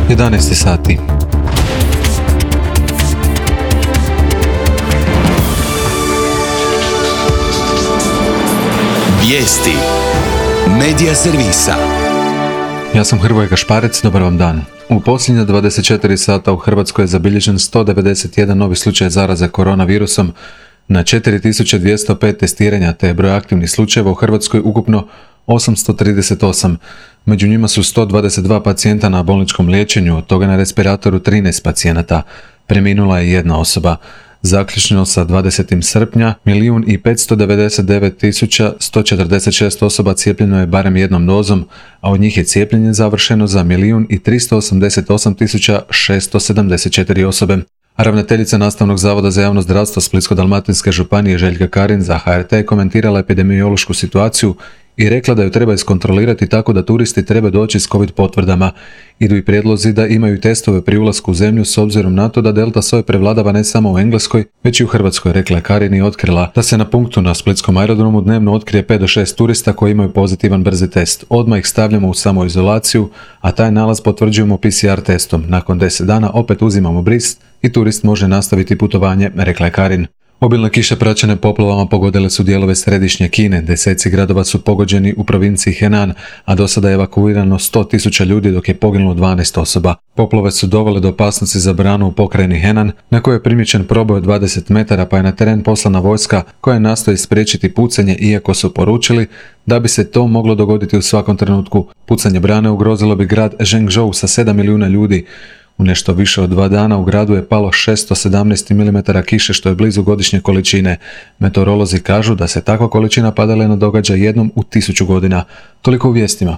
11 sati. Vijesti Medija servisa. Ja sam Hrvoje Gašparec, dobar vam dan. U posljednja 24 sata u Hrvatskoj je zabilježen 191 novi slučaj zaraze koronavirusom na 4205 testiranja, te je broj aktivnih slučajeva u Hrvatskoj ukupno 838. Među njima su 122 pacijenta na bolničkom liječenju, od toga na respiratoru 13 pacijenata. Preminula je jedna osoba. Zaključno sa 20. srpnja, 1.599.146 osoba cijepljeno je barem jednom dozom, a od njih je cijepljenje završeno za 1.388.674 osobe. Ravnateljica Nastavnog zavoda za javno zdravstvo Splitsko-dalmatinske županije Željka Karin za HRT komentirala epidemiološku situaciju i rekla da ju treba iskontrolirati tako da turisti treba doći s COVID potvrdama. Idu i prijedlozi da imaju testove pri ulasku u zemlju s obzirom na to da delta soj prevladava ne samo u Engleskoj, već i u Hrvatskoj, rekla je Karin i otkrila da se na punktu na splitskom aerodromu dnevno otkrije 5 do 6 turista koji imaju pozitivan brzi test. Odmah ih stavljamo u samoizolaciju, a taj nalaz potvrđujemo PCR testom. Nakon 10 dana opet uzimamo bris i turist može nastaviti putovanje, rekla je Karin. Obilne kiše praćene poplavama pogodile su dijelove središnje Kine. Deseci gradova su pogođeni u provinciji Henan, a do sada je evakuirano 100.000 ljudi dok je poginulo 12 osoba. Poplave su dovele do opasnosti za branu u pokrajini Henan, na kojoj je primijećen proboj od 20 metara, pa je na teren poslana vojska koja nastoji spriječiti pucanje, iako su poručili da bi se to moglo dogoditi u svakom trenutku. Pucanje brane ugrozilo bi grad Zhengzhou sa 7 milijuna ljudi. U nešto više od 2 dana u gradu je palo 617 mm kiše, što je blizu godišnje količine. Meteorolozi kažu da se takva količina padalina događa jednom u 1000 godina. Toliko u vijestima.